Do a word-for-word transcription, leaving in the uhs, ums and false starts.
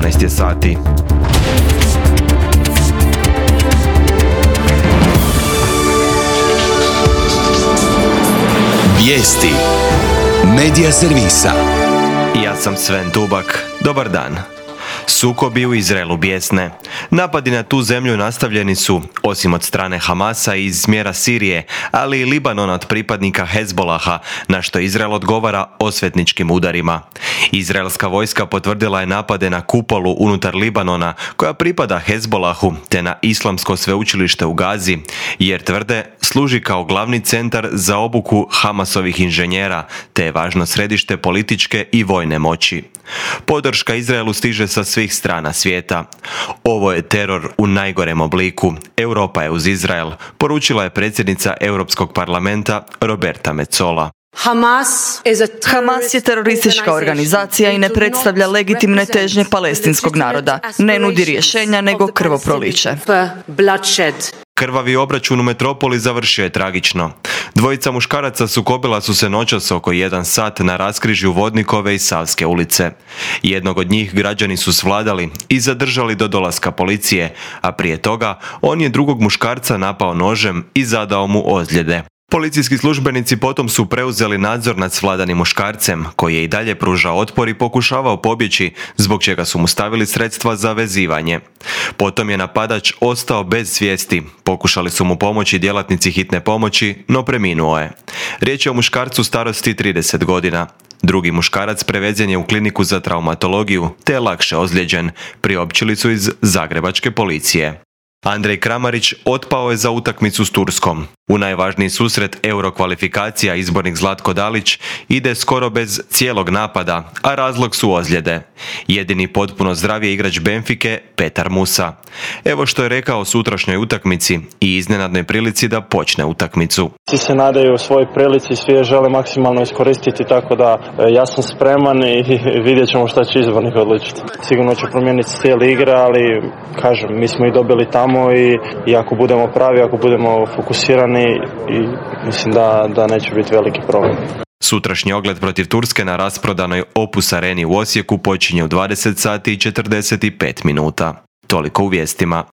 osamnaest je sati. Vijesti Medija servisa. Ja sam Sven Dubak. Dobar dan. Sukobi u Izraelu bijesne. Napadi na tu zemlju nastavljeni su, osim od strane Hamasa iz smjera Sirije, ali i Libanona od pripadnika Hezbolaha, na što Izrael odgovara osvetničkim udarima. Izraelska vojska potvrdila je napade na kupolu unutar Libanona, koja pripada Hezbolahu, te na islamsko sveučilište u Gazi, jer tvrde služi kao glavni centar za obuku Hamasovih inženjera, te je važno središte političke i vojne moći. Podrška Izraelu stiže sa svih strana svijeta. Ovo je teror u najgorem obliku. Europa je uz Izrael, poručila je predsjednica Europskog parlamenta Roberta Metsola. Hamas je teroristička organizacija i ne predstavlja legitimne težnje palestinskog naroda. Ne nudi rješenja nego krvoproliće. Krvavi obračun u metropoli završio je tragično. Dvojica muškaraca sukobila su se noćas oko jedan sat na raskrižju Vodnikove i Savske ulice. Jednog od njih građani su svladali i zadržali do dolaska policije, a prije toga on je drugog muškarca napao nožem i zadao mu ozljede. Policijski službenici potom su preuzeli nadzor nad svladanim muškarcem, koji je i dalje pružao otpor i pokušavao pobjeći, zbog čega su mu stavili sredstva za vezivanje. Potom je napadač ostao bez svijesti. Pokušali su mu pomoći djelatnici hitne pomoći, no preminuo je. Riječ je o muškarcu starosti trideset godina. Drugi muškarac prevezen je u kliniku za traumatologiju, te je lakše ozlijeđen, priopćili su iz zagrebačke policije. Andrej Kramarić otpao je za utakmicu s Turskom. U najvažniji susret Eurokvalifikacija izbornik Zlatko Dalić ide skoro bez cijelog napada, a razlog su ozljede. Jedini potpuno zdrav je igrač Benfike Petar Musa. Evo što je rekao o sutrašnjoj utakmici i iznenadnoj prilici da počne utakmicu. Svi se nadaju svojoj prilici, svi je žele maksimalno iskoristiti, tako da ja sam spreman i vidjet ćemo šta će izbornik odlučiti. Sigurno će promijeniti stil igre, ali kažem, mi smo i dobili tamo i, i ako budemo pravi, ako budemo fokusirani, i mislim da, da neće biti veliki problem. Sutrašnji ogled protiv Turske na rasprodanoj Opus Areni u Osijeku počinje u dvadeset sati i četrdeset pet minuta. Toliko u vijestima.